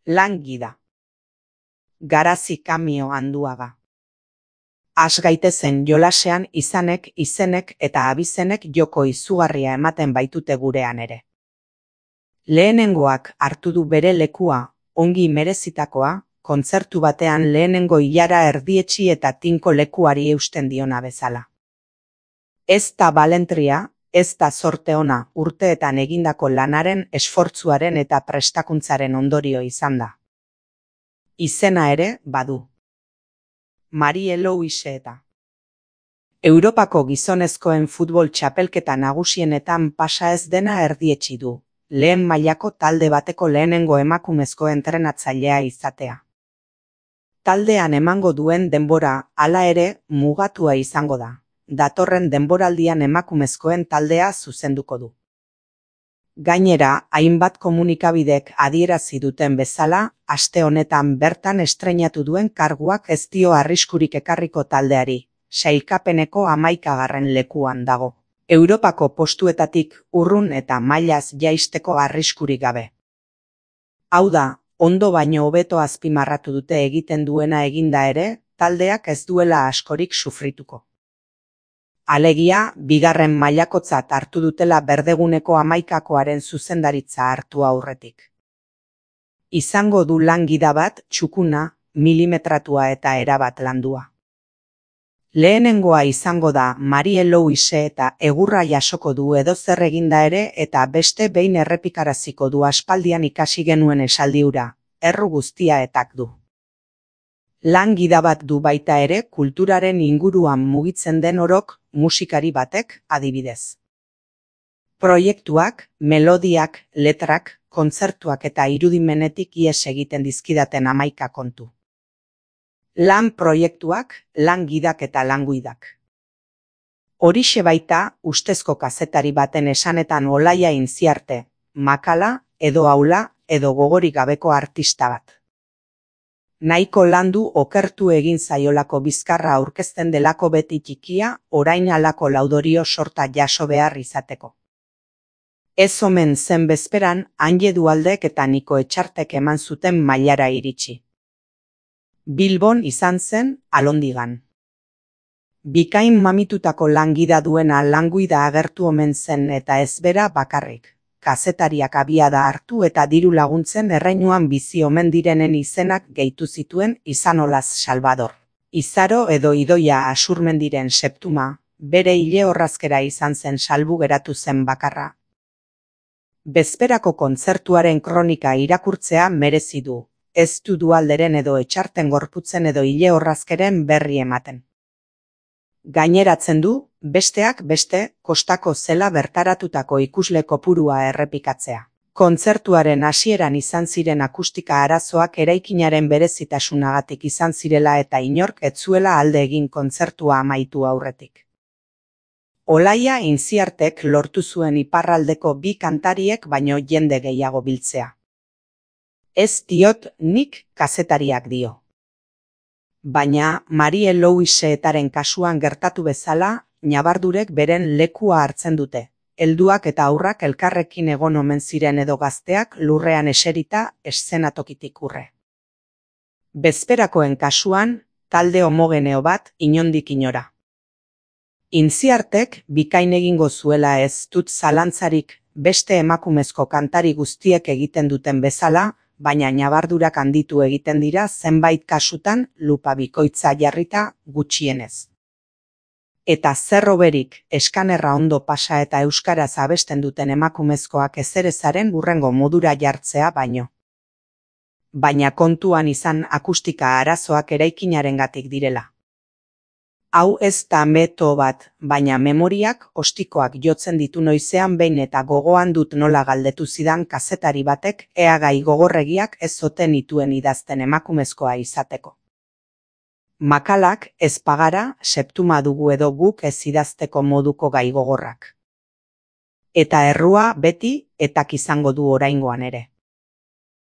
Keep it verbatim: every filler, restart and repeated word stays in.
Lan gida. Garazi Kamio Anduaga. Has gaitezen jolasean izanek, izenek eta abizenek joko izugarria ematen baitute gurean ere. Lehenengoak hartu du bere lekua, ongi merezitakoa, kontzertu batean lehenengo ilara erdietsi eta tinko lekuari eusten diona bezala. Ez da balentria, ez da zorte ona urteetan egindako lanaren, esfortzuaren eta prestakuntzaren ondorio izan da. Izena ere badu. Marie Louise eta. Europako gizonezkoen futbol txapelketa nagusienetan pasa ez dena erdietsi du, lehen mailako talde bateko lehenengo emakumezko entrenatzailea izatea. Taldean emango duen denbora, hala ere, mugatua izango da. Datorren denboraldian emakumezkoen taldea zuzenduko du. Gainera, hainbat komunikabidek adierazi duten bezala, aste honetan bertan estreinatu duen karguak ez dio arriskurik ekarriko taldeari, sailkapeneko hamaikagarren lekuan dago. Europako postuetatik urrun eta mailaz jaisteko arriskurik gabe. Hau da, ondo baino hobeto azpimarratu dute egiten duena eginda ere, taldeak ez duela askorik sufrituko. Alegia, bigarren mailakotzat hartu dutela berdeguneko hamaikakoaren zuzendaritza hartu aurretik. Izango du lan gida bat, txukuna, milimetratua eta erabat landua. Lehenengoa izango da Marie Louise eta egurra jasoko du edozer eginda ere eta beste behin errepikaraziko du aspaldian ikasi genuen esaldi hura, erru guztia etak du. Lan gida bat du baita ere kulturaren inguruan mugitzen den orok, musikari batek, adibidez. Proiektuak, melodiak, letrak, kontzertuak eta irudimenetik ihes egiten dizkidaten hamaika kontu. Lan proiektuak, lan gidak eta languidak. Horixe baita, ustezko kazetari baten esanetan Olaia Intziarte, makala, edo aula, edo gogorik gabeko artista bat. Nahiko landu okertu egin zaiolako bizkarra aurkezten delako beti txikia, orain halako laudorio sorta jaso behar izateko. Ez omen zen bezperan, Anje Dualdek eta Niko Etxartek eman zuten mailara iritsi. Bilbon izan zen, Alondigan. Bikain mamitutako langida duena languida agertu omen zen eta ez bera bakarrik. Kazetariak abiada hartu eta diru laguntzen erreinuan bizi omen direnen izenak gehitu zituen Izanolaz Salvador. Izaro edo Idoia Asurmendiren Septuma, bere hile orrazkera izan zen salbu geratu zen bakarra. Bezperako kontzertuaren kronika irakurtzea merezi du, ez du Dualderen edo Etxarten gorputzen edo hile orrazkeren berri ematen. Gaineratzen du, besteak beste, kostako zela bertaratutako ikusle kopurua errepikatzea. Kontzertuaren hasieran izan ziren akustika arazoak eraikinaren berezitasunagatik izan zirela eta inork ez zuela alde egin kontzertua amaitu aurretik. Olaia Intziartek lortu zuen iparraldeko bi kantariek baino jende gehiago biltzea. Ez diot nik kazetariak dio. Baina Marie Louise etaren kasuan gertatu bezala, ñabardurek beren lekua hartzen dute. Helduak eta aurrak elkarrekin egon omen ziren edo gazteak lurrean eserita eszenatokitik urre. Bezperakoen kasuan, talde homogeneo bat inondik inora. Intziartek bikain egingo zuela ez dut zalantzarik beste emakumezko kantari guztiek egiten duten bezala, baina ñabardurak handitu egiten dira zenbait kasutan lupa bikoitza jarrita gutxienez. Eta zer hoberik eskanerra ondo pasa eta euskaraz abesten duten emakumezkoak ezerezaren hurrengo modura jartzea baino. Baina kontuan izan akustika arazoak eraikinarengatik direla. Hau ez da meto bat, baina memoriak ostikoak jotzen ditu noizean behin eta gogoan dut nola galdetu zidan kazetari batek ea gai gogorregiak ez zoten ituen idazten emakumezkoa izateko. Makalak ez pagara, septuma dugu edo guk ez idazteko moduko gai gogorrak. Eta errua beti etak izango du oraingoan ere.